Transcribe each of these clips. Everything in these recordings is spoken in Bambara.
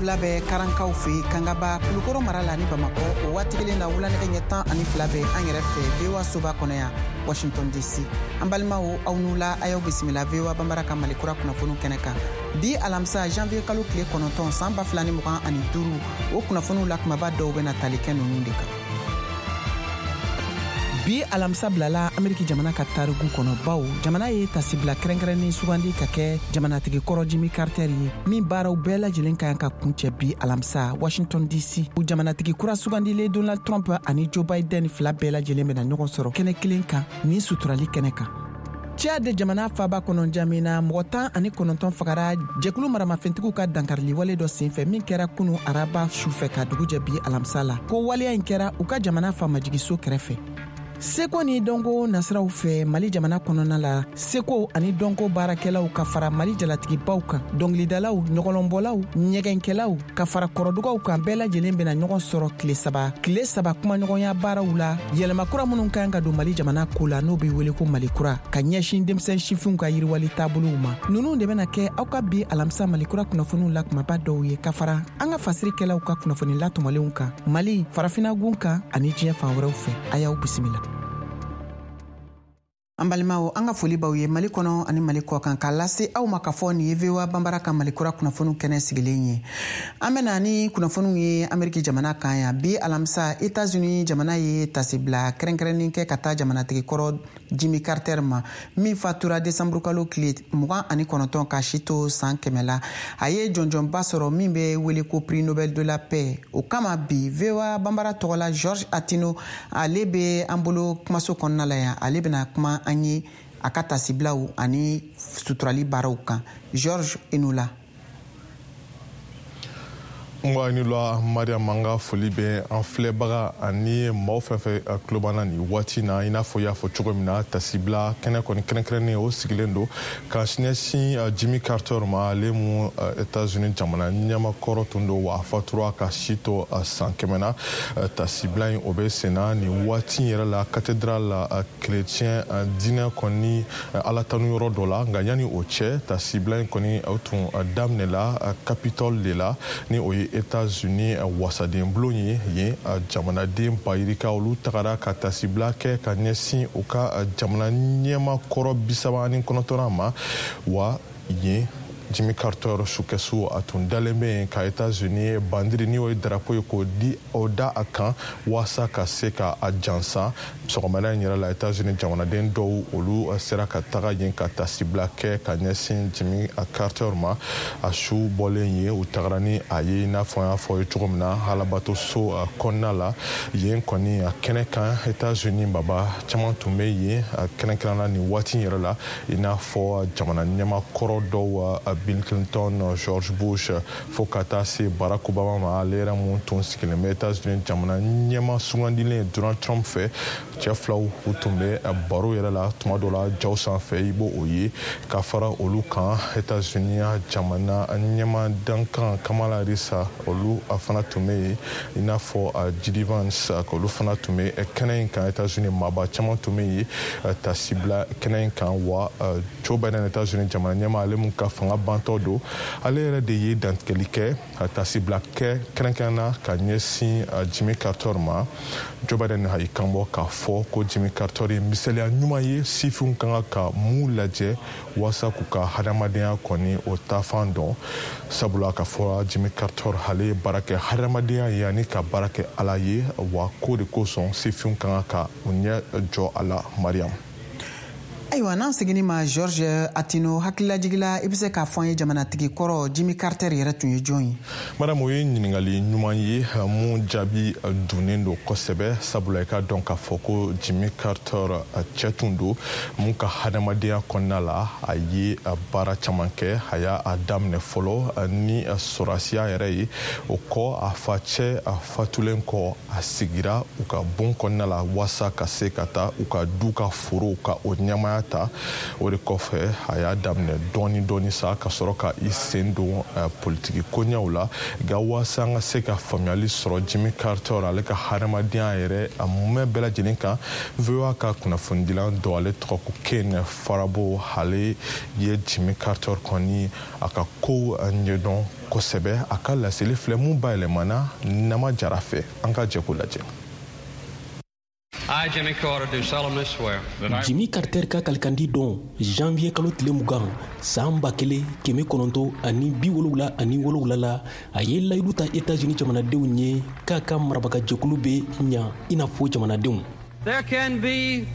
7 bɛ Karankaw fɛ Kangaba, Kulukoro mara la ni Bamakɔ. O waati kelen na, wulanɛgɛ ɲɛ 12 bɛ an yɛrɛ fɛ VOA soba kɔnɔ yan, Washington DC. An balimaw, aw ni wula, a y'aw bisimila VOA Banbara ka Mali kura kunnafoniw kɛnɛ kan bi alamisa, janvier kalo tile 9, san 2025. O kunnafoniw la kumaba dɔw bɛna tali kɛ ninnu de kan. Bi alamisa bilala Ameriki jamana ka tariku kɔnɔ, bawo jamana ye tasibila kɛrɛnkɛrɛnnin sugandi ka kɛ jamanatigi kɔrɔ Jimmy Carter ye, min baaraw bɛɛ lajɛlen ka kan ka kuncɛ bi alamisa Washington DC. Jamanatigi kura sugandilen Donald Trump ani Joe Biden fila bɛɛ lajɛlen bɛna ɲɔgɔn sɔrɔ kɛnɛ kelen kan nin suturali kɛnɛ kan. Tchad jamana faba kɔnɔ N'Djamena, mɔgɔ 19 fagara jɛkulu maramafɛntigiw ka dankariliwale dɔ senfɛ min kɛra kunu araba sufɛ ka dugu jɛ bi alamisa la. Ko waleya in kɛra u ka jamana famajigiso kɛrɛfɛ. Seko ni dɔnko nasiraw fɛ, Mali jamana kɔnɔna la, seko ani dɔnko baarakɛlaw ka fara Mali jalatigibaw kan, dɔngilidalaw, ɲɔgɔlɔnbɔlaw, ɲɛgɛnkɛlaw ka fara kɔrɔdugaw kan, bɛɛ lajɛlen bɛna ɲɔgɔn sɔrɔ tile 3 kumaɲɔgɔnya baaraw la, yɛlɛma kura minnu kan ka don Mali jamana ko la, n'o be wele ko Mali kura, ka ɲɛsin denmisɛn sifinw ka yiriwali taabolow ma. Nunu de bɛna kɛ aw ka bi alamisa Mali kura kunnafoniw la kumaba dɔw ye, ka fara an ka fasirikɛlaw ka kunnafoni latɔmɔlenw kan Mali, farafinagun kan ani diɲɛ fan wɛrɛw fɛ. A y'aw bisimila. An balimaw, an ka foli b'aw ye Mali kɔnɔ ani Mali kɔ kan, k'a lase aw ma k'a fɔ nin ye VOA Banbara ka Mali kura kunnafoniw kɛnɛ sigilen ye. An bɛna ni kunnafoniw ye Ameriki jamana kan yan. Bi alamisa, Etats-Unis jamana ye tasibila kɛrɛnkɛrɛnnin kɛ ka taa jamanatigi kɔrɔ Jimmy Carter ma, min fatura desanburukalo tile 29 ka si to san 100 la. A ye jɔnjɔnba sɔrɔ min bɛ wele ko Prix Nobel de la paix. O kama bi, VOA Banbara tɔgɔla George Atino, ale bɛ an bolo kumaso kɔnɔna la yan. Ale bɛna kuma an ye a ka tasibilaw ani suturali baaraw kan. George, i ni wula. Nba, ni la Mariam. An ka foli bɛ an filɛbaga ani maaw fɛn fɛn tulo b'an na nin waati na. I n'a fɔ i y'a fɔ cogo min na, tasibila kɛnɛ kɔni kɛrɛnkɛrɛnnen, o sigilen don ka ɲɛsin Jimmy Carter ma, ale mu Etats-Unis jamana ɲɛmakɔrɔ tun don, wa a fatura ka si to san 100 na. Tasibila in, o bɛ senna nin waati yɛrɛ la cathédrale la, chrétien diinɛ kɔni ala tanu yɔrɔ dɔ la. Nka yanni o cɛ, tasibila in kɔni, o tun daminɛla Capitole de la, ni o ye États-Unis wasaden bulon ye. Yen, jamanaden bayirika, olu tagara ka tasibila kɛ ka ɲɛsin u ka jamana ɲɛma kɔrɔ 39nan ma. Wa yen, Jimmy Carter sukɛsu, a tun dalen bɛ yen ka États-Unis bandiri, ni o ye drapeau ye, k'o di o da a kan waasa ka se ka a jansan. Sɔgɔmada in yɛrɛ la, États-Unis jamanaden dɔw, olu sera ka taga yen ka tasibila kɛ ka ɲɛsin Jimmy Carter ma. A su bɔlen ye, u tagara ni a ye, i n'a fɔ an y'a fɔ ye cogo min na, alabatoso kɔnɔna la. Yen kɔni, a kɛnɛ kan, États-Unis baba caman tun bɛ yen kɛrɛnkɛrɛnna nin waati in yɛrɛ la, i n'a fɔ jamana ɲɛmakɔrɔ dɔw, Bill Clinton, George Bush, fo ka taa se Barack Obama ma, ale yɛrɛ mun tun sigilen bɛ États-Unis jamana ɲɛma sugandilen Donald Trump fɛ. Cɛ filaw, u tun bɛ baro yɛrɛ la tuma dɔ la jaw sanfɛ, i b'o o ye. Ka fara olu kan, États-Unis jamana ɲɛma dankan Kamala Harris, olu fana tun bɛ yen, i n'a fɔ J.D. Vance, olu fana tun bɛ kɛnɛ in kan. États-Unis maaba caman tun bɛ yen tasibila kɛnɛ in kan. Wa Joe Biden, États-Unis jamana ɲɛma, ale mun ka fanga bantɔ don, ale yɛrɛ de ye dantigɛli kɛ, tasibila kɛ kɛrɛnkɛrɛnna ka ɲɛsin Jimmy Carter ma. Joe Biden y'i kanbɔ k'a fɔ ko Jimmy Carter ye misaliya ɲuman ye sifinw ka kan ka mun lajɛ waasa k'u ka hadamadenya kɔni o taafan dɔn, sabula ka fɔ Jimmy Carter, ale ye baara kɛ hadamadenya ye ani ka baara kɛ Ala ye. Wa ko de kosɔn sifinw ka kan ka u ɲɛ jɔ a la, Mariam. Ayiwa, n'an seginni ma, George Atino, hakililajigila, i bɛ se k'a fɔ an ye jamanatigi kɔrɔ Jimmy Carter yɛrɛ tun ye jɔn ye? Madame, o ye ɲininkali ɲuman ye mun jaabi dunnen don kosɛbɛ, sabula i ka dɔn k'a fɔ ko Jimmy Carter cɛ tun don mun ka hadamadenya kɔnɔna la, a ye baara caman kɛ. A y'a daminɛ fɔlɔ ni sɔrɔsiya yɛrɛ ye. O kɔ, a facɛ a fatulen kɔ, a sigira u ka bon kɔnɔna la waasa ka se ka taa u ka du ka forow ka o ɲɛmaya. ɲɛmaya ta. O de kɔfɛ, a y'a daminɛ dɔɔni dɔɔni sa ka sɔrɔ ka i sen don politiki koɲɛw la. Nka waasa an ka se ka faamuyali sɔrɔ Jimmy Carter ale ka hadamadenya yɛrɛ a mumɛ bɛɛ lajɛlen kan, VOA ka kunnafonidilan dɔ, ale tɔgɔ ko Ken Farabaugh, ale ye Jimmy Carter kɔni a ka kow ɲɛdɔn kosɛbɛ. A ka laseli filɛ mun bayɛlɛmana Nama Jara fɛ. An ka jɛ k'o lajɛ. I, Jimmy Carter, do solemnly swear. Jimmy Carter ka kalikandi don janvier kalo tile 20 san 1977 la, a ye layidu ta Etats-Unis jamanadenw ye k'a ka marabagajɛkulu bɛ ɲa i n'a fɔ jamanadenw. There can be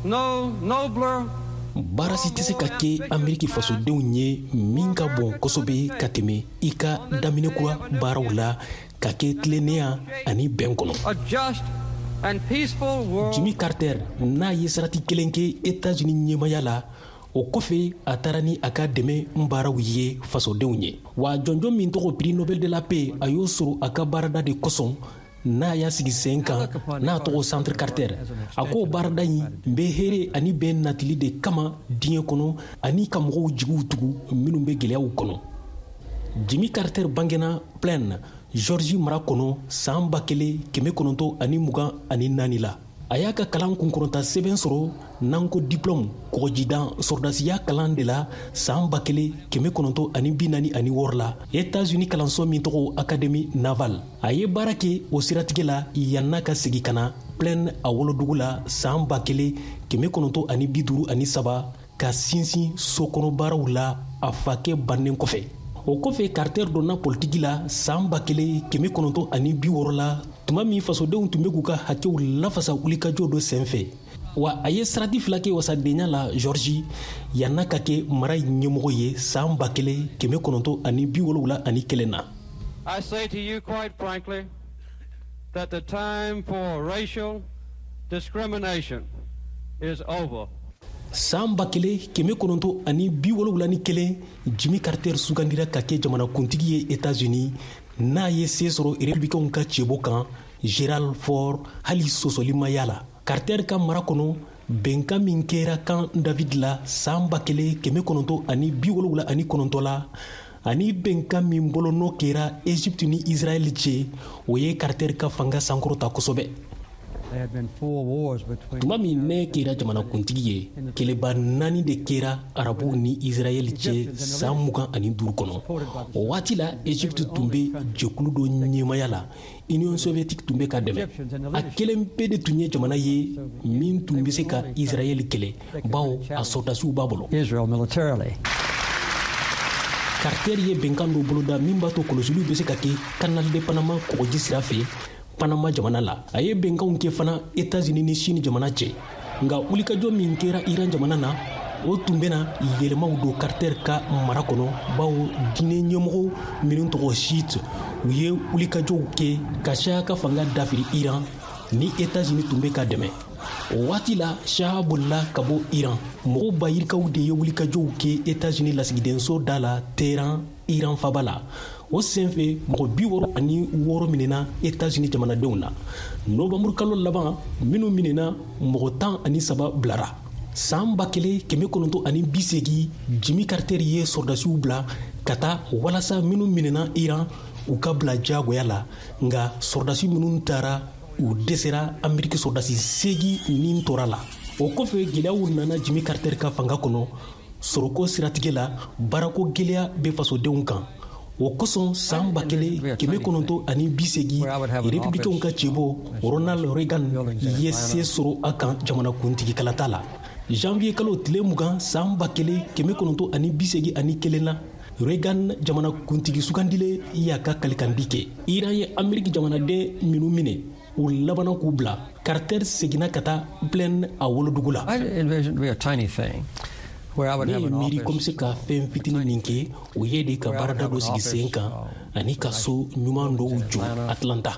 no nobler Baara si tɛ se ka kɛ Ameriki fasodenw ye min ka bon kosɛbɛ ka tɛmɛ i ka daminɛ kura baaraw la ka kɛ tilennenya ani bɛn kɔnɔ. A just and peaceful world. Jimmy Carter n'a ye sarati kelen kɛ Etats-Unis ɲɛmaya la, o kɔfɛ a taara ni a ka dɛmɛ baaraw ye fasodenw ye. Wa jɔnjɔn min tɔgɔ Prix Nobel de la paix, a y'o sɔrɔ a ka baarada de kosɔn n'a y'a sigi sen kan, n'a tɔgɔ Centre Carter. A ko baarada in bɛ hɛrɛ ani bɛn natili de kama diɲɛ kɔnɔ ani ka mɔgɔw jigiw tugu minnu bɛ gɛlɛyaw kɔnɔ. Jimmy Carter bangena Plains, Georgie mara kɔnɔ san 1924 la. A y'a ka kalan kunkɔrɔta sɛbɛn sɔrɔ, n'an ko diplôme, kɔgɔjidan sɔrɔdasiya kalan de la san 1946 la, Etats-Unis kalanso min tɔgɔ Académie navale. A ye baara kɛ o siratigɛ la yann'a ka segin ka na Plains, a wolodugu la, san 1953, ka sinsin sokɔnɔ baaraw la a fakɛ bannen kɔfɛ. O kɔfɛ, Carter donna politiki la san 1960 la, tuma min fasodenw tun bɛ k'u ka hakɛw lafasa wulikajɔ dɔ senfɛ. Wa a ye sarati fila kɛ wasadenya la Georgie yann'a ka kɛ mara ɲɛmɔgɔ ye san 1971 na. I say to you quite frankly that the time for racial discrimination is over. San 1971, Jimmy Carter sugandira ka kɛ jamanakuntigi ye Etats-Unis, n'a ye se sɔrɔ Républicainw ka cɛbɔ kan Gerald Ford, hali sɔsɔli ma y'a la. Carter ka mara kɔnɔ, bɛnkan min kɛra Camp David la san 1979 la, ani bɛnkan min bolonɔ kɛra Egypte ni Israɛl cɛ, o ye Carter ka fanga sankɔrɔta kosɛbɛ. Tuma min ne kɛra jamanakuntigi ye, kɛlɛba naani de kɛra Arabuw ni Israɛl cɛ san 25 kɔnɔ. O waati la, Egypte tun bɛ jɛkulu dɔ ɲɛmaya la, Union soviétique tun bɛ ka dɛmɛ. A kelen pe de tun ye jamana ye min tun bɛ se ka Israɛl kɛlɛ, bawo a sɔrɔdasiw b'a bolo. Carter ye bɛnkan dɔ boloda min b'a to kɔlɔsiliw bɛ se ka kɛ Canal de Panama kɔgɔji sira fɛ Panama jamana la. A ye bɛnkanw kɛ fana Etats-Unis ni Chine jamana cɛ. Nka wulikajɔ min kɛra Iran jamana na, o tun bɛna yɛlɛmaw don Carter ka mara kɔnɔ, bawo diinɛ ɲɛmɔgɔ minnu tɔgɔ Chiite, u ye wulikajɔw kɛ ka Shah ka fanga dafiri Iran ni Etats-Unis tun bɛ ka dɛmɛ. O waati la, Shah bolila ka bɔ Iran. Mɔgɔw ba yirikaw de ye wulikajɔw kɛ Etats-Unis lasigidenso da la Téhéran, Iran faba la. O senfɛ, mɔgɔ 66 minɛna Etats-Unis jamanadenw na. Novanburu kalo laban, minnu minɛna, mɔgɔ 13 bilara. San 1980, Jimmy Carter ye sɔrɔdasiw bila ka taa walasa minnu minɛna Iran, u ka bila diyagoya la. Nka sɔrɔdasi minnu taara, u dɛsɛra. Ameriki sɔrɔdasi 8 nin tora la. O kɔfɛ, gɛlɛyaw nana Jimmy Carter ka fanga kɔnɔ sɔrɔko siratigɛ la. Baarako gɛlɛya bɛ fasodenw kan. O kosɔn, san 1980, Républicainw ka cɛbɔ Ronald Reagan ye se sɔrɔ a kan jamanakuntigi kalata la. Janvier kalo tile 20 san 1981 na, Reagan jamanakuntigi sugandilen y'a ka kalikandi kɛ. Iran ye Ameriki jamanaden minnu minɛ, u labanna k'u bila. Carter seginna ka taa Plains, a wolodugu la. Ne ye miiri ko n bɛ se ka fɛn fitinin min kɛ, o ye de ka baarada dɔ sigi sen kan ani ka so ɲuman dɔw jɔ Atlanta.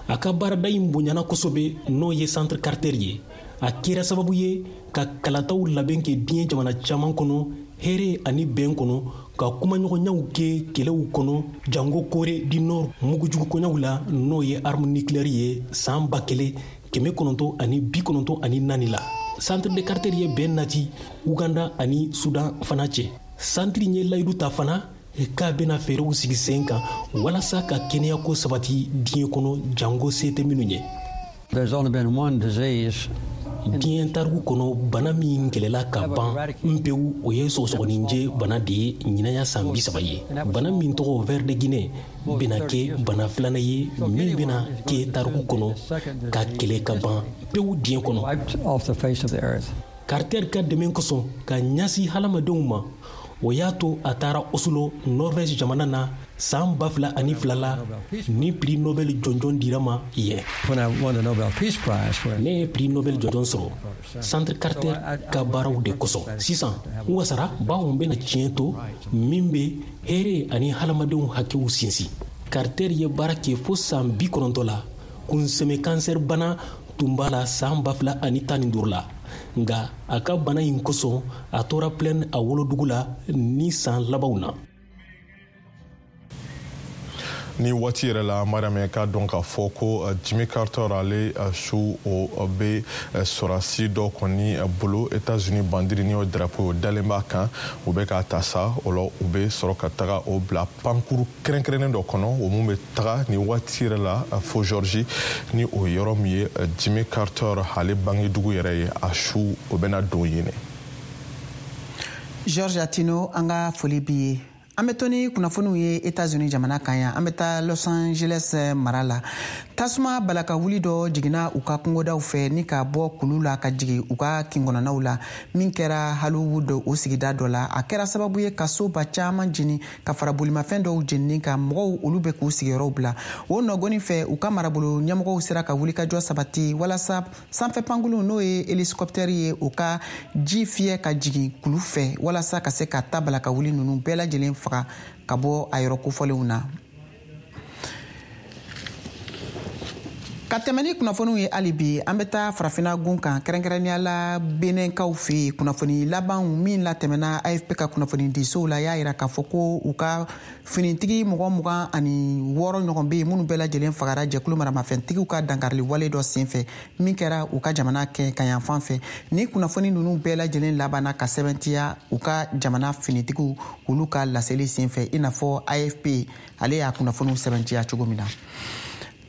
A ka baarada in bonyana kosɛbɛ, n'o ye Centre Carter ye. A kɛra sababu ye ka kalataw labɛn kɛ diɲɛ jamana caman kɔnɔ hɛrɛ ani bɛn kɔnɔ, ka kumaɲɔgɔnyaw kɛ kɛlɛw kɔnɔ, jango Corée du Nord mugujugu koɲaw la, n'o ye arme nucléaire ye, san 1994 la. Centre de Carter ye bɛn nati Uganda ani Sudan fana cɛ. Santiri ye layidu ta fana k'a bɛna fɛɛrɛw sigi sen kan walasa ka kɛnɛyako sabati diɲɛ kɔnɔ, jango se tɛ minnu ye. Diɲɛ tariku kɔnɔ, bana min kɛlɛla ka ban pewu, o ye sɔgɔsɔgɔninjɛ bana de ye. Ɲinaya san 30 ye, bana min tɔgɔ ver de Guinée bɛna kɛ bana filanan ye min bɛna kɛ tariku kɔnɔ ka kɛlɛ ka ban pewu diɲɛ kɔnɔ. Carter ka dɛmɛ kosɔn ka ɲɛsin hadamadenw ma, o y'a to a taara Oslo, Norvège jamana na, san 2002 la, ni prix Nobel jɔnjɔn dira ma yen. Ne ye prix Nobel jɔnjɔn sɔrɔ Centre Carter ka baaraw de kosɔn. Sisan n wasara, bawo n bɛna tiɲɛ to min bɛ hɛrɛ ani hadamadenw hakɛw sinsin. Carter ye baara kɛ fo san 90 la. Kunsɛmɛ kansɛri bana tun b'a la san 2015 la, nka a ka bana in kosɔn, a tora Plaine, a wolodugu la, ni san labanw na. Ni waati yɛrɛ la, Mariam, k'a dɔn k'a fɔ ko Jimmy Carter ale su, o bɛ sɔrɔdasi dɔ kɔni bolo, États-Unis bandiri, ni o drapeau o dalen b'a kan. U bɛ k'a ta sa, o la u bɛ sɔrɔ ka taga o bila pankuru kɛrɛnkɛrɛnnen dɔ kɔnɔ, o mun bɛ taga ni waati yɛrɛ la fo Georgie, ni o yɔrɔ min ye Jimmy Carter ale bangedugu yɛrɛ ye. A su, o bɛna don yen. George Atino, an ka foli b'i ye. An bɛ to ni kunnafoniw ye Etats-Unis jamana kan yan. An bɛ taa Los Angeles mara la. Tasuma balaka wuli dɔ jiginna u ka kungodaw fɛ ni ka bɔ kulu la ka jigin u ka kinkɔnɔnaw la, min kɛra Hollywood, o sigida dɔ la. A kɛra sababu ye ka soba caman jeni, ka fara bolimafɛn dɔw jenini kan. Mɔgɔw, olu bɛ k'u sigiyɔrɔw bila. O nɔgɔni fɛ, u ka marabolo ɲɛmɔgɔw sera ka wulikajɔ sabati walasa sanfɛ pankulu, n'o ye hélicoptère ye, o ka ji fiyɛ ka jigin kulu fɛ, walasa ka se ka ta balaka wuli ninnu bɛɛ lajɛlen faga ka bɔ a yɔrɔ kofɔlenw na. Ka tɛmɛ ni kunnafoniw ye hali bi, an bɛ taa Farafina gun kan, kɛrɛnkɛrɛnnenya la Benɛnkaw fɛ yen. Kunnafoni labanw min latɛmɛna AFP ka kunnafoni disow la y'a yira k'a fɔ ko u ka finitigi mɔgɔ 26 ɲɔgɔn bɛ yen, minnu bɛɛ lajɛlen fagara jɛkulu maramafɛntigiw ka dankarili wale dɔ senfɛ min kɛra u ka jamana kɛ kayanfan fɛ. Ni kunnafoni ninnu bɛɛ lajɛlen labanna ka sɛbɛntiya u ka jamana finitigiw, olu ka laseli senfɛ, i n'a fɔ AFP ale y'a kunnafoniw sɛbɛntiya cogo min na.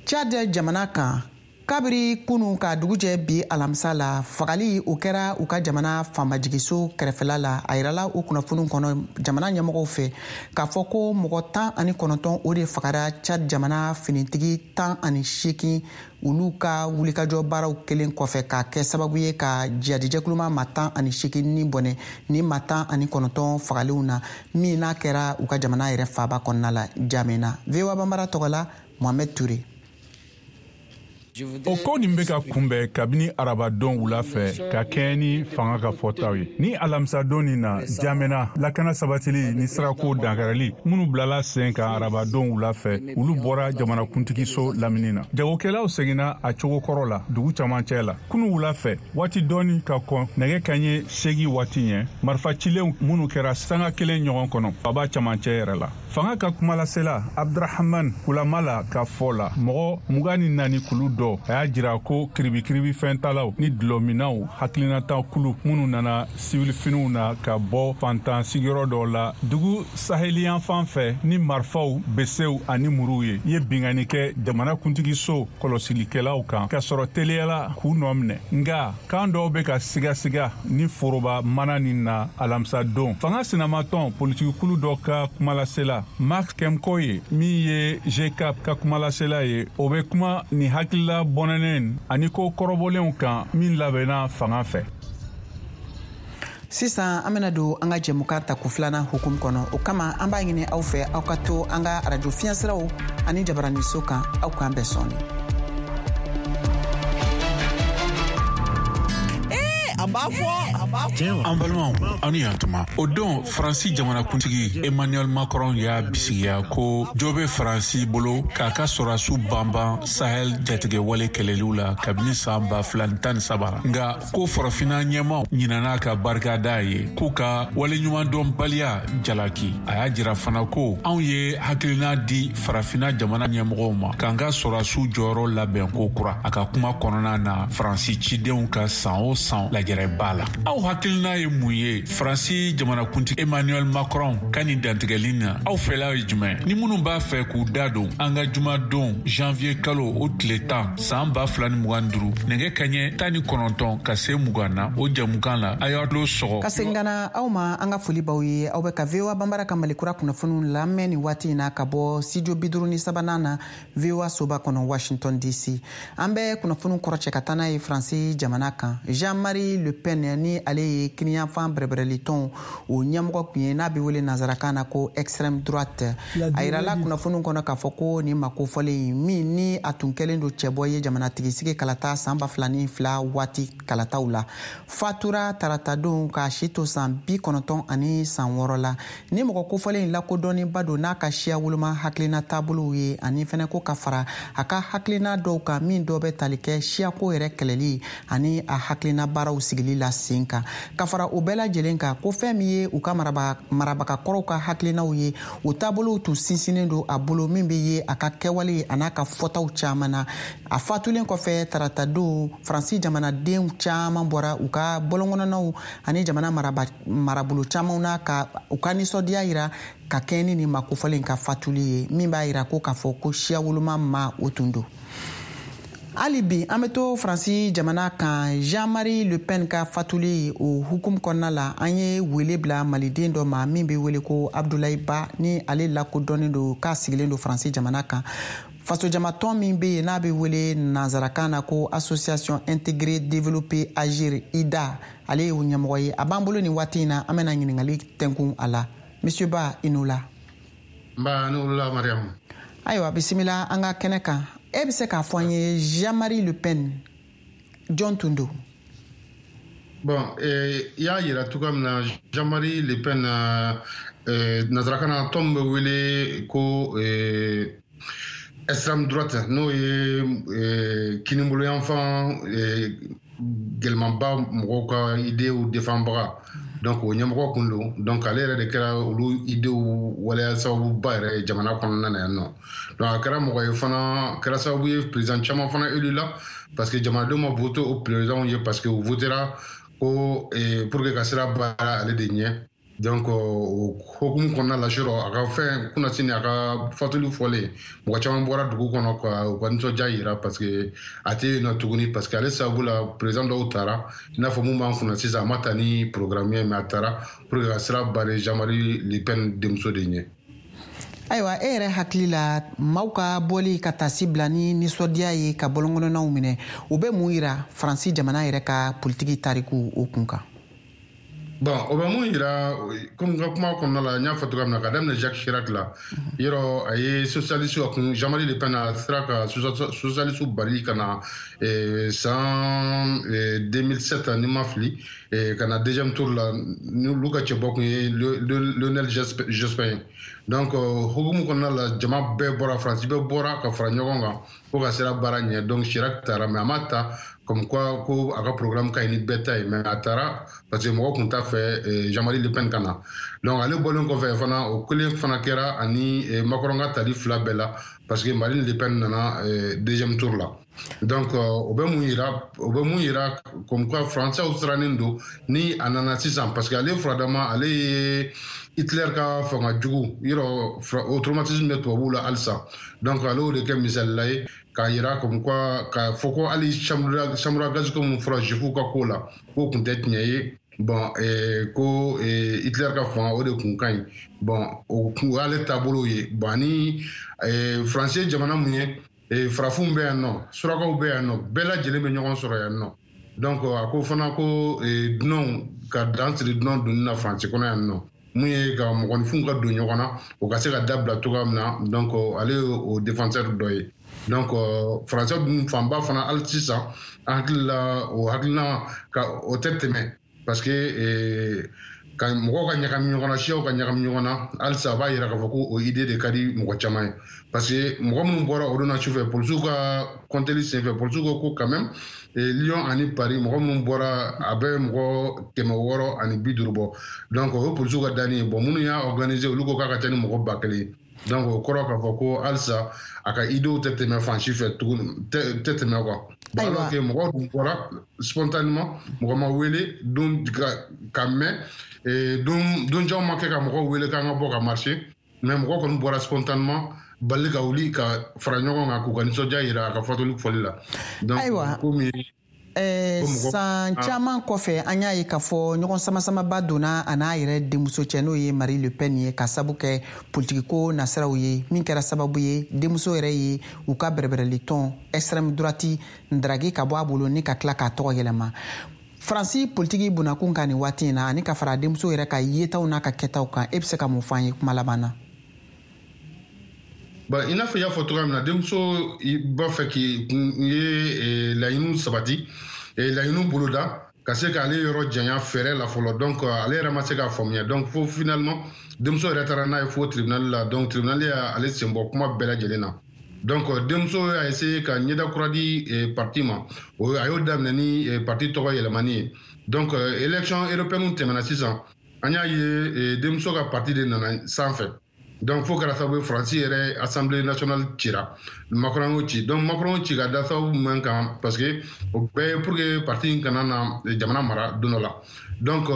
Chad jamana kan, kabiri kunu ka dugujɛ bi alamisa la, fagali o kɛra u ka jamana faamajigiso kɛrɛfɛla la. A yirala o kunnafoniw kɔnɔ jamana ɲɛmɔgɔw fɛ k'a fɔ ko mɔgɔ 19, o de fagara Chad jamana finitigi 18, olu ka wulikajɔ baaraw kelen kɔfɛ k'a kɛ sababu ye ka jihadijɛkuluma ma 18 ni bɔnɛ ni ma 19 fagalenw na, min n'a kɛra u ka jamana yɛrɛ faaba kɔnɔna la, Jamena. VOA Banbara tɔgɔ la, Mohamed Touré. O ko nin bɛ ka kunbɛn kabini arabadon wula fɛ ka kɛɲɛ ni fanga ka fɔtaw ye. Ni alamisadon nin na Jamena, lakana sabatili ni sirako dankarili minnu bilala sen kan arabadon wula fɛ, olu bɔra jamanakuntigiso lamini na. Jagokɛlaw seginna a cogo kɔrɔ la dugu camancɛ la kunu wula fɛ, waati dɔɔni ka kɔn nɛgɛ kaɲɛ 8 waati ɲɛ, marifa cilenw minnu kɛra sanga kelen ɲɔgɔn kɔnɔ faba camancɛ yɛrɛ la. Fanga ka kumalasela Abdurahaman Kulamala ka fɔ la, mɔgɔ 24 kulu dɔ, a y'a jira ko kiribikiribi fɛntalaw ni dulɔminaw hakilinata kulu minnu nana siwilifiniw na ka bɔ fantan sigiyɔrɔ dɔ la dugu saheliyanfan fɛ ni marifaw, besew ani muruw ye, ye binkanni kɛ jamana kuntigiso kɔlɔsilikɛlaw kan, ka sɔrɔ teliyala k'u nɔ minɛ. Nga kan dɔw bɛ ka sigasiga ni foroba mana nin na alamisa don. Fanga sinamatɔn politikikulu dɔ ka kumalasela Mark Kemkoye, min ye GCAP ka kumalasela ye, o bɛ kuma ni hakilila bɔnɛnen ani ko kɔrɔbɔlenw kan min labɛnna fanga fɛ. Sisan an bena don an ka jɛmukan tako filanan hukumu kɔnɔ. O kama, an b'a ɲini aw fɛ, aw ka to an ka arajo fiɲɛsiraw ani jabaraniso kan. Aw k'an bɛn sɔɔni. A b'a fɔ. An balimaw, aw ni yantuma. O don, Faransi jamanakuntigi Emmanuel Macron y'a bisigiya ko jo bɛ Faransi bolo k'a ka sɔrɔdasiw banban Sahel jatigɛwale kɛlɛliw la kabini san 2013. Nka ko farafinna ɲɛmaw ɲinana ka barika da ye, k'u ka waleɲumandɔnbaliya jalaki. A y'a jira fana ko anw ye hakilina di farafinna jamana ɲɛmɔgɔw ma k'an ka sɔrɔdasiw jɔyɔrɔ labɛn ko kura. A ka kuma kɔnɔna na, Faransi cidenw ka san o san lajɛrɛba la, aw hakilina ye mun ye Faransi jamanakuntigi Emmanuel Macron ka nin dantigɛli na? Aw fɛla ye jumɛn? Ni minnu b'a fɛ k'u da don an ka jumadon janvier kalo o tile 10 san 2025, nɛgɛ kaɲɛ 19 ka se 20 na, o jamukan la, a y'aw tulo sɔgɔ. Ka segin ka na aw ma, an ka foli b'aw ye. Aw bɛ ka VOA Banbara ka Malikura kunnafoniw lamɛn nin waati in na ka bɔ studio 53nan na, VOA soba kɔnɔ, Washington DC. An bɛ kunnafoniw kɔrɔcɛ ka taa n'a ye Faransi jamana kan. Jean-Marie Le Pen, ni ale ye kiniyanfan bɛrɛbɛrɛlitɔn o ɲɛmɔgɔ kun ye, n'a bɛ wele nansarakan na ko extrême droite, a yirala kunnafoniw kɔnɔ k'a fɔ ko nin mako fɔlen min, ni a tun kɛlen don cɛbɔ ye jamanatigisigi kalata san 2002 waati kalataw la, fatura taratadon k'a si to san 96 la. Ni mɔgɔ kofɔlen in lakodɔnniba don n'a ka siya woloma hakilina taabolow ye, ani fɛnɛ ko ka fara a ka hakilina dɔw kan, min dɔ bɛ tali kɛ siyako yɛrɛ kɛlɛli ani a hakilina baaraw sigili la sen kan. Ka fara o bɛɛ lajɛlen kan, ko fɛn min ye u ka marabaga kɔrɔw ka hakilinaw ye, o taabolow tun sinsinnen don a bolo, min bɛ ye a ka kɛwale an'a ka fɔtaw caman na. A fatulen kɔfɛ taratadon, Faransi jamanadenw caman bɔra u ka bɔlɔnkɔnɔnaw ani jamana marabolo camanw na ka u ka nisɔndiya yira ka kɛɲɛ ni nin makofɔlen ka fatuli ye, min b'a yira ko k'a fɔ ko siya woloma ma o tun don. Hali bi an bɛ to Faransi jamana kan. Jean-Marie Le Pen ka fatuli o hukumu kɔnɔna la, an ye wele bila maliden dɔ ma min bɛ wele ko Abdulayi Ba, ni ale lakodɔnnen don k'a sigilen don Faransi jamana kan. Fasojamatɔn min bɛ yen, n'a bɛ wele nansarakan na ko Association Intégrée Développer Agir, IDA, ale ye o ɲɛmɔgɔ ye. A b'an bolo nin waati in na, an bɛna ɲininkali tɛnkun a la. Monsieur Ba, i n'o la. Nba, ni wula, Mariam. Ayiwa, bisimila an ka kɛnɛ kan. E bɛ se k'a fɔ an ye, Jean-Marie Le Pen, jɔn tun don? Bon, i y'a yira cogoya min na, Jean-Marie Le Pen, nansarakan na tɔn bɛ wele ko extrême droite, n'o ye kiniboloyanfan gɛlɛmanba mɔgɔw ka idéew défendbaga. Donc o ɲɛmɔgɔ kun don. Donc ale yɛrɛ de kɛra olu idéew waleya sababuba yɛrɛ ye jamana kɔnɔna na yan nɔ. Donc a kɛra mɔgɔ ye fana, kɛra sababu ye président caman fana élu la, parce que jamanadenw ma voté o président ye, parce que u votera ko pour que ka sira baara ale de ɲɛ. Donc o hokumu kɔnɔna la, surɔ a ka fɛn kunnasini, a ka fatuli fɔlen, mɔgɔ caman bɔra dugu kɔnɔ ka u ka nisɔndiya yira, parce que a tɛ yen nɔ tuguni, parce que ale sababu la président dɔw taara, i n'a fɔ mun b'an kunna sisan. A ma ta ni programme ye, mais a taara pour que ka sira bari Jean-Marie Le Pen denmuso de ɲɛ. Ayiwa, e yɛrɛ hakili la, maaw ka bɔli ka tasi bila ni nisɔndiya ye ka bɔlɔnkɔnɔnaw minɛ, o bɛ mun yira Faransi jamana yɛrɛ ka politiki tariku o kun kan? Bon, o bɛ mun yira? Komi n ka kuma kɔnɔna la, n y'a fɔ cogoya min na, ka daminɛ Jacques Chirac la, yɔrɔ a ye socialiste a kun, Jean-Marie Le Pen a sera ka socialiste bali ka na san 2007, ni ma fili, ka na deuxième tour la, n'olu ka cɛbɔ kun ye Lionel Jospin. Donc hukumu kɔnɔna la, jama bɛɛ bɔra, Faransi bɛɛ bɔra ka fara ɲɔgɔn kan ko ka sira baara ɲɛ. Donc Chirac taara, mais a ma ta comme quoi ko a ka programme ka ɲi ni bɛɛ ta ye, mais a taara parce que mɔgɔ kun t'a fɛ Jean-Marie Le Pen ka na. Donc ale bɔlen kɔfɛ fana, o kelen fana kɛra ani Macron ka tali fila bɛɛ la, parce que Marine Le Pen nana deuxième tour la. Donc o bɛ mun yira? O bɛ mun yira? Comme quoi Français sirannen don ni a nana sisan, parce que ale furadama, ale ye Hitler ka fanga jugu yɔrɔ, o traumatisme bɛ tubabuw la halisa. Donc ale y'o de kɛ misalila ye k'a yira comme quoi, k'a fɔ ko hali chambre à gaz ko mun fɔra juifu ka ko la, k'o kun tɛ tiɲɛ ye. Bon, ko Hitler ka fanga, o de kun ka ɲi. Bon, o kun y'ale taabolo ye. Bon, ani Faransi ye jamana mun ye, farafinw bɛ yan nɔ, surakaw bɛ yan nɔ, bɛɛ lajɛlen bɛ ɲɔgɔn sɔrɔ yan nɔ. Donc a ko fana ko dunanw ka dan siri dunan donni na Faransi kɔnɔ yan nɔ, mun ye ka mɔgɔninfinw ka don ɲɔgɔn na, o ka se ka dabila cogoya min na. Donc ale ye o défenseur dɔ ye. Donc Faransɛ dun fanba fana, hali sisan an hakili la, o hakilina ka o tɛ tɛmɛ. Parce que ka mɔgɔw ka ɲagami ɲɔgɔn na, siyaw ka ɲagami ɲɔgɔn na, halisa a b'a yira k'a fɔ ko o idée de ka di mɔgɔ caman ye. Parce que mɔgɔ minnu bɔra o don na sufɛ, polisiw ka kɔnteli senfɛ, polisiw ko ko quand même Lyon ani Paris, mɔgɔ minnu bɔra, a bɛ mɔgɔ 650 bɔ. Donc o ye polisiw ka danni ye. Bon, minnu y'a organiser, olu ko k'a ka ca ni mɔgɔ 1000 ye. Donc o kɔrɔ k'a fɔ ko halisa a ka idéew tɛ tɛmɛ fan si fɛ tuguni, tɛ tɛmɛ quoi. Alors que mɔgɔw dun bɔra spontanément, mɔgɔ ma wele don ka mɛn, donjanw ma kɛ ka mɔgɔw wele k'an ka bɔ ka marcher, mais mɔgɔw kɔni bɔra spontanément bali ka wuli ka fara ɲɔgɔn kan k'u ka nisɔndiya yira a ka fatuli fɔli la. Donc komi san caman kɔfɛ, an y'a ye k'a fɔ ɲɔgɔn samasamaba donna a n'a yɛrɛ denmuso cɛ, n'o ye Marie Le Pen ye, ka sabu kɛ politikiko nasiraw ye, min kɛra sababu ye denmuso yɛrɛ ye u ka bɛrɛbɛrɛli tɔn extrême droite ndaragi ka bɔ a bolo ni ka tila k'a tɔgɔ yɛlɛma. Faransi politiki bunakun kan nin waati in na, ani ka fara denmuso yɛrɛ ka yetaw n'a ka kɛtaw kan, e bɛ se ka mun fɔ an ye kuma laban na? Bon, i n'a fɔ i y'a fɔ cogoya min na, denmuso b'a fɛ k'i ye laɲiniw sabati, laɲiniw boloda ka se k'ale yɔrɔ janya fɛɛrɛ la fɔlɔ. Donc ale yɛrɛ ma se k'a faamuya. Donc fo finalement denmuso yɛrɛ taara n'a ye fo tribunal la. Donc tribunal y'ale sen bɔ kuma bɛɛ lajɛlen na. Donc denmuso y'a essayé ka ɲɛda kura di parti ma, a y'o daminɛ ni parti tɔgɔ yɛlɛmani ye. Donc élection européenne tɛmɛna sisan, an y'a ye denmuso ka parti de nana sanfɛ. Donc fo kɛra sababu ye Faransi yɛrɛ Assemblée nationale cira, Macron y'o ci. Donc Macron ci ka da sababu min kan, parce que o bɛɛ ye pour que parti in kana na jamana mara don dɔ la. Donc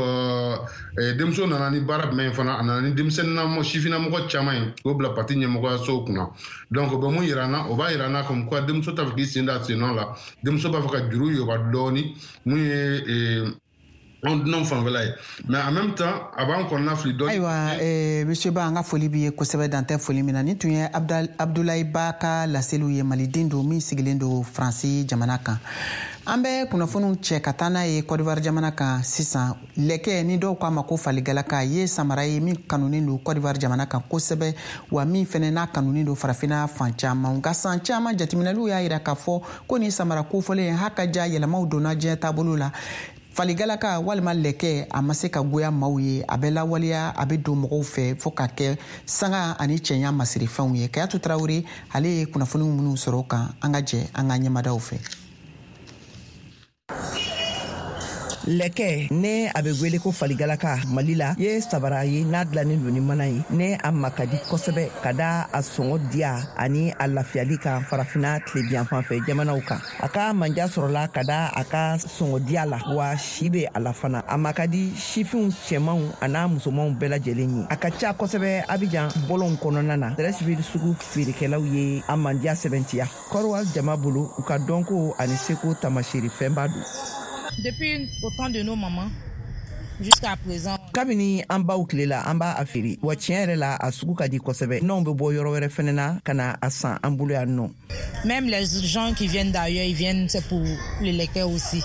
denmuso nana ni baara jumɛn ye fana, a nana ni denmisɛnnin sifinnamɔgɔ caman ye k'o bila parti ɲɛmɔgɔyasow kunna. Donc o bɛ mun yira an na? O b'a yira an na comme quoi denmuso t'a fɛ k'i sen da sen nɔ la, denmuso b'a fɛ ka juru yoba dɔɔni mun ye anw dunanw fanfɛla ye, mais en même temps a b'an kɔnɔna fili dɔɔni. Ayiwa, monsieur Ba, an ka foli b'i ye kosɛbɛ, dan tɛ foli min na. Nin tun ye Abdoulaye Ba ka laseliw ye, maliden don min sigilen don Faransi jamana kan. An bɛ kunnafoniw cɛ ka taa n'a ye Côte d'Ivoire jamana kan sisan. Lɛkɛ, ni dɔw k'a ma ko faligalaka, ye samara ye min kanunen don Côte d'Ivoire jamana kan kosɛbɛ, wa min fɛnɛ n'a kanunen don farafinna fan caman. Nka san caman jateminɛliw y'a yira k'a fɔ ko nin samara kofɔlen ha ka ja, yɛlɛmaw donna diɲɛ taabolo la. Faligalaka walima lɛkɛ, a ma se ka goya maaw ye, a bɛ lawaleya, a bɛ don mɔgɔw fɛ fɔɔ ka kɛ sanga ani cɛɲa masirifɛnw ye. Kayatu Tarawele, ale ye kunnafoniw minnu sɔrɔ o kan, an ka jɛ an ka ɲɛmadaw fɛ. Lɛkɛ, ne a bɛ wele ko faligalaka Mali la, ye sabara ye n'a dilannen don ni mana ye, ne a ma ka di kosɛbɛ ka da a sɔngɔ diya ani a lafiyali kan farafina tilebiyanfan fɛ jamanaw kan. A ka manja sɔrɔla ka da a ka sɔngɔ diya la, wa si bɛ a la fana. A ma ka di sifinw cɛmanw an'a musomanw bɛɛ lajɛlen ye. A ka ca kosɛbɛ Abijan bɔlɔnw kɔnɔna na. Treichville sugu feerekɛlaw ye a mandiya sɛbɛntiya Kɔrɔwa jama bolo, u ka dɔnko ani seko taamasere fɛnba don. Depuis au temps de nos mamans jusqu'à présent. Kabini an baw tile la, an b'a a feere, wa tiɲɛ yɛrɛ la, a sugu ka di kosɛbɛ. N'anw bɛ bɔ yɔrɔ wɛrɛ fɛnɛ na ka na a san an bolo yan nɔ. Même les gens qui viennent d'ailleurs, ils viennent, c'est pour le lɛkɛ aussi.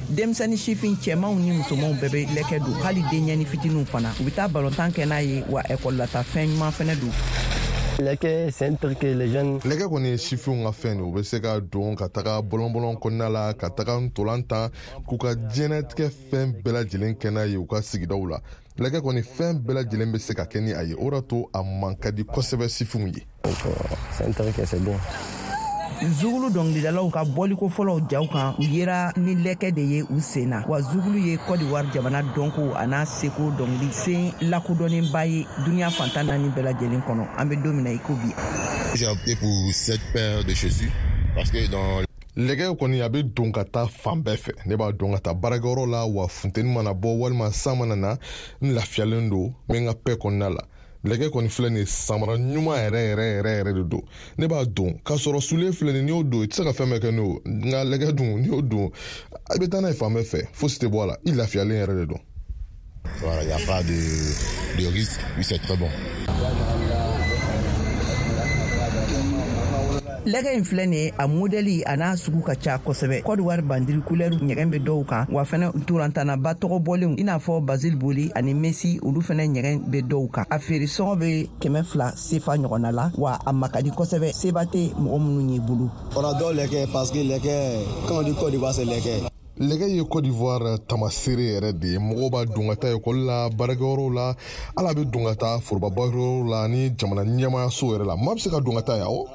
Denmisɛnnin sifin cɛmanw ni musomanw bɛɛ bɛ lɛkɛ don, hali denɲɛni fitininw fana. U bɛ taa balontan kɛ n'a ye, wa ekɔlilata fɛn ɲuman fɛnɛ don. Lɛkɛ, c'est un truc que les jeunes. Lɛkɛ kɔni ye sifinw ka fɛn de, u bɛ se ka don ka taga bɔlɔn-bɔlɔn kɔnɔna la, ka taga ntolan tan, k'u ka diɲɛnatigɛ fɛn bɛɛ lajɛlen kɛ n'a ye u ka sigidaw la. Lɛkɛ kɔni, fɛn bɛɛ lajɛlen bɛ se ka kɛ ni a ye, o de to a man ka di kosɛbɛ sifinw ye. C'est un truc que c'est bien. Zugulu dɔnkilidalaw ka bɔliko fɔlɔw jaw kan, u yera ni lɛkɛ de ye u sen na, wa zugulu ye Côte d'Ivoire jamana dɔnko a n'a seko dɔnkili sen lakodɔnnenba ye duniɲa fantan naani bɛɛ lajɛlen kɔnɔ, an bɛ don min na i ko bi. J'ai opté pour cette paire de chaussures parce que dans Lɛgɛ kɔni, a bɛ don ka taa fan bɛɛ fɛ. Ne b'a don ka taa baarakɛyɔrɔ la, wa funteni mana bɔ walima san mana na, n lafiyalen don, n bɛ n ka pɛ kɔnɔna la. Lɛgɛ kɔni filɛ nin ye, samara ɲuman yɛrɛ yɛrɛ yɛrɛ yɛrɛ de don. Ne b'a don k'a sɔrɔ soulier filɛ nin, n'i y'o don, i tɛ se ka fɛn bɛɛ kɛ n'o. Nka lɛgɛ dun, n'i y'o don, i bɛ taa n'a ye fan bɛɛ fɛ, fosi tɛ bɔ a la, i lafiyalen yɛrɛ de don. Voilà, il n'y a pas de risque, oui, c'est très bon. Lɛgɛ in filɛ nin ye, a modɛli a n'a sugu ka ca kosɛbɛ. Kɔdiwari bandiri kulɛri ɲɛgɛn bɛ dɔw kan, wa fɛnɛ ntolantannaba tɔgɔ bɔlenw i n'a fɔ Basile Boli ani Messi, olu fɛnɛ ɲɛgɛn bɛ dɔw kan. A feere sɔngɔ bɛ 200 sefa ɲɔgɔnna la, wa a makadi kosɛbɛ, seba tɛ mɔgɔ minnu ye bolo. On adore lɛkɛ parce que lɛkɛ, quand on dit Côte d'Ivoire, c'est lɛkɛ. Lɛgɛ ye Côte d'Ivoire tamaseere yɛrɛ de ye. Mɔgɔw b'a don ka taa ekɔli la, baarakɛyɔrɔw la, hali a bɛ don ka taa foroba baarakɛyɔrɔw la ni jamana ɲɛmaayaso yɛrɛ la. Maa bɛ se ka don ka taa yan o.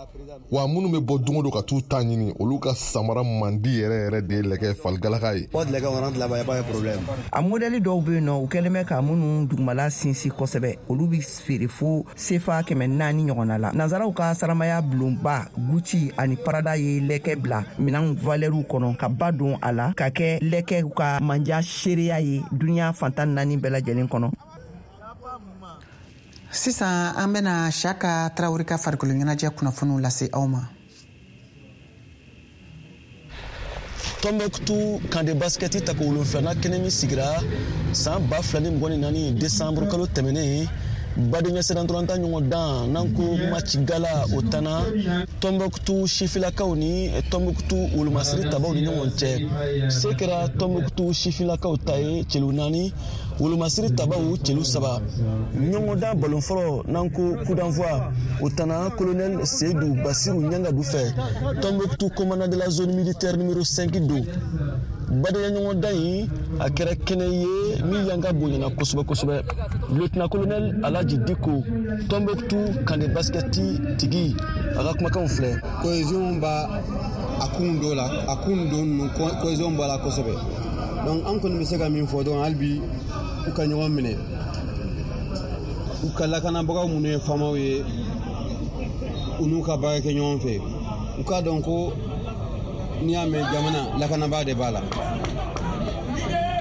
Wa minnu bɛ bɔ don o don ka t'u ta ɲini, olu ka samara mandi yɛrɛ yɛrɛ de ye lɛgɛ faligalaka ye. A modɛli dɔw bɛ yen nɔ, u kɛlen bɛ ka minnu dugumala sinsin kosɛbɛ, olu bɛ feere fo sefa 400 ɲɔgɔnna la. Nansaraw ka saramaya bulonba Gucci ani Prada ye lɛkɛ bila minɛn valɛriw kɔnɔ ka ba don a la ka kɛ lɛkɛw ka manja seereya ye duniɲa fantan naani bɛɛ lajɛlen kɔnɔ. Sisan an bɛna Siyaka Tarawele ka farikolo ɲɛnajɛ kunnafoniw lase aw ma. Tombouctou camp de basket tako wolonfilanan kɛnɛ min sigira san 2024 décembre kalo tɛmɛnen, badenya sennantolatan ɲɔgɔn dan n'an ko match gala, o tanna Tombouctou sifilakaw ni Tombouctou wolomasiri tabaw ni ɲɔgɔn cɛ. Se kɛra Tombouctou sifilakaw ta ye celu 4, wolomasiri tabaw celu 3. Ɲɔgɔndan balon fɔlɔ n'an ko coup d'envoi, o tanna colonel Seydou Basiru Ɲangadu fɛ, Tombouctou commandant de la zone militaire numéro 5 don. Badenya ɲɔgɔndan in a kɛra kɛnɛ ye min yanga bonyana kosɛbɛ kosɛbɛ. Lieutenant colonel Alhaji Diko, Tombouctou camp de basket tigi, a ka kumakanw filɛ. Cohésion b'a a kun dɔ la, a kun dɔ ninnu cohésion b'a la kosɛbɛ. Donc an kɔni bɛ se ka min fɔ dɔrɔn, hali bi u ka ɲɔgɔn minɛ, u ka lakanabagaw minnu ye faamaw ye, u n'u ka baara kɛ ɲɔgɔn fɛ, u k'a dɔn ko n'i y'a mɛn jamana lakanabaa de b'a la.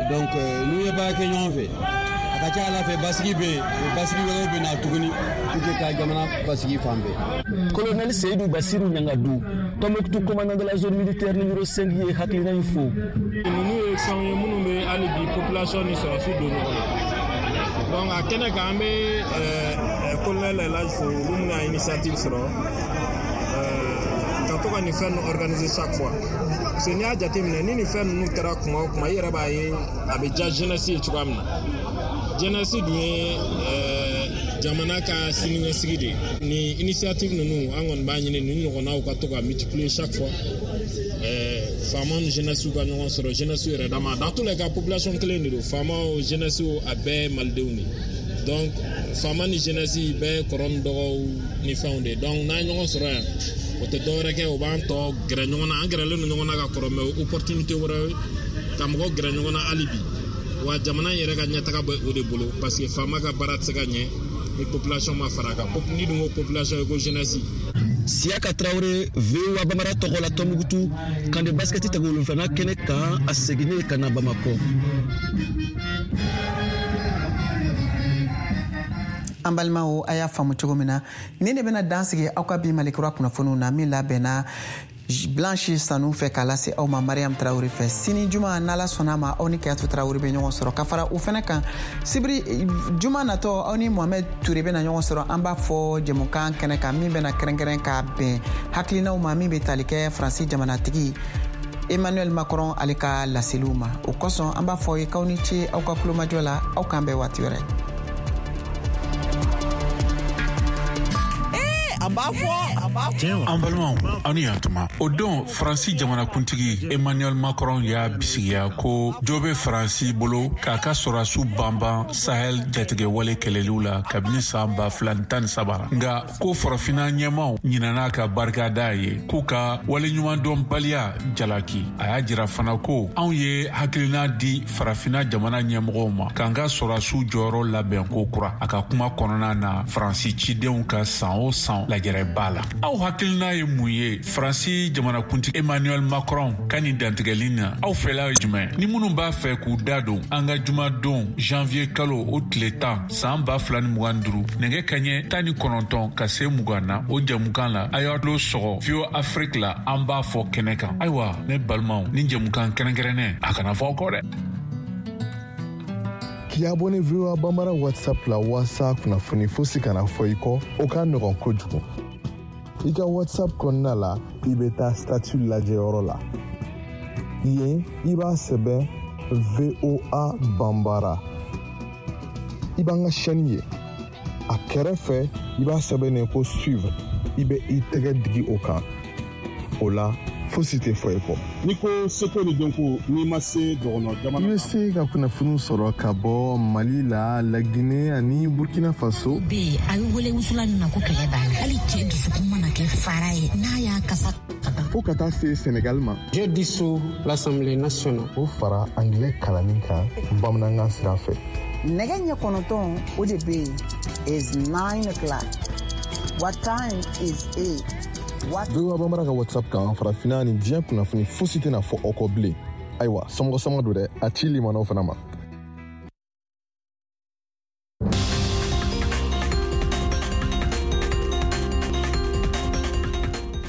Donc n'u ye baara kɛ ɲɔgɔn fɛ, a ka ca ala fɛ basigi bɛ yen, o basigi wɛrɛw bɛ na tuguni pour que ka jamana basigi fan bɛɛ. Colonel Seydou Bassirou Ɲangadu, Tombouctou commandant de la zone militaire numéro 5 ye hakilina in fo. Ninnu ye fɛnw ye minnu bɛ hali bi population ni sɔrɔsiw don ɲɔgɔn na. Donc a kɛnɛ kan, an bɛ colonel Elhadj fo, olu minnu y'a initiative sɔrɔ ka to ka nin fɛn ninnu organiser chaque fois. Parce que n'i y'a jateminɛ, ni nin fɛn ninnu kɛra kuma o kuma, i yɛrɛ b'a ye a bɛ diya jeunesse ye cogoya min na. Jeunesse dun ye jamana ka siniɲɛsigi de ye. Nin initiative ninnu, an kɔni b'a ɲini nin ɲɔgɔnnaw ka to ka multiplier chaque fois. Faamaw ni jeunesse ka ɲɔgɔn sɔrɔ, jeunesse yɛrɛ dama, dans tous les cas population kelen de don, faamaw, jeunesse, a bɛɛ ye malidenw de ye. Donc faama ni jeunesse bɛɛ ye kɔrɔ ni dɔgɔw ni fɛnw de ye. Donc n'an ye ɲɔgɔn sɔrɔ yan, o tɛ dɔwɛrɛ kɛ, o b'an tɔ gɛrɛ ɲɔgɔn na. An gɛrɛlen don ɲɔgɔn na ka kɔrɔ, mais opportunité wɛrɛ ka mɔgɔw gɛrɛ ɲɔgɔn na hali bi. Wa jamana in yɛrɛ ka ɲɛtaga bɛ o de bolo, parce que faama ka baara tɛ se ka ɲɛ ni population ma fara a kan. Ni dun ko population ye ko jeunesse. Siyaka Tarawele, VOA Bambara tɔgɔ la, Tombouctou camp de basket tako wolonfilanan kɛnɛ kan, a seginnen ka na Bamakɔ. An balimaw, a y'a faamu cogo min na, nin de bɛna dan sigi aw ka bi Malikura kunnafoniw na min labɛnna Blanche Sanu fɛ k'a lase aw ma Mariam Tarawele fɛ. Sini juma, n'Ala sɔnna ma, aw ni Kayatu Tarawele bɛ ɲɔgɔn sɔrɔ. Ka fara o fɛnɛ kan, sibiri juma natɔ, aw ni Mohamɛd Ture bɛna ɲɔgɔn sɔrɔ, an b'a fɔ jɛmukan kɛnɛ kan min bɛna kɛrɛnkɛrɛn k'a bɛn hakilinaw ma min bɛ tali kɛ Faransi jamanatigi Emmanuel Macron ale ka laseliw ma. O kosɔn an b'a fɔ ye k'aw ni ce aw ka kulomajɔ la, aw k'an bɛn waati wɛrɛ. A b'a fɔ, a b'a fɔ. An balimaw, aw ni yantuma. O don, Faransi jamanakuntigi Emmanuel Macron y'a bisigiya ko jo bɛ Faransi bolo k'a ka sɔrɔdasiw banban Sahel jatigɛwale kɛlɛliw la kabini san 2013. Nka ko farafinna ɲɛmaw ɲinana ka barika da ye, k'u ka waleɲumandɔnbaliya jalaki. A y'a jira fana ko anw ye hakilina di farafinna jamana ɲɛmɔgɔw ma k'an ka sɔrɔdasiw jɔyɔrɔ labɛn ko kura. A ka kuma kɔnɔna na, Faransi cidenw ka san o san lajɛrɛba la, aw hakilina ye mun ye Faransi jamanakuntigi Emmanuel Macron ka nin dantigɛli na? Aw fɛla ye jumɛn? Ni minnu b'a fɛ k'u da don an ka jumadon janvier kalo o tile 10 san 2025, nɛgɛ kaɲɛ 19 ka se 20 na, o jɛmukan la, a y'a tulo sɔgɔ VOA Afrique la, an b'a fɔ kɛnɛ kan. Ayiwa, ne balimaw, ni jɛmukan kɛrɛnkɛrɛnnen, a kana fɔ aw kɔ dɛ. K'i abonné VOA Bambara WhatsApp la waasa kunnafoni fosi kana fɔ i kɔ, o ka nɔgɔn kojugu. I ka WhatsApp kɔnɔna la, i bɛ taa statut lajɛyɔrɔ la. Yen, i b'a sɛbɛn VOA Banbara. I b'an ka chaîne ye. A kɛrɛfɛ, i b'a sɛbɛn ko suivre. I bɛ i tɛgɛ digi o kan. O la, fosi tɛ fɔ i kɔ. N'i ko seko ni dɔnko, n'i ma se dɔgɔnɔ jamana. I bɛ se ka kunnafoniw sɔrɔ ka bɔ Mali la, Laginɛ ani Burkina Faso. Bɛ yen, a bɛ wele wusulan min ma ko kɛlɛ b'a la. Hali cɛ dusukun mana kɛ fara ye, n'a y'a kasa ka ban. Fo ka taa se Senegal ma. Je dissous l'Assemblée nationale. O fara angilɛ kalanni kan bamanankan sira fɛ. Nɛgɛ ɲɛ 9, o de bɛ yen, is 9 o'clock. What time is it? What VOA Bambara ka WhatsApp kan, farafinna ni diɲɛ kunnafoni fosi tɛna fɔ aw kɔ bilen. Ayiwa, somɔgɔ sama don dɛ, a ci limanaw fana ma.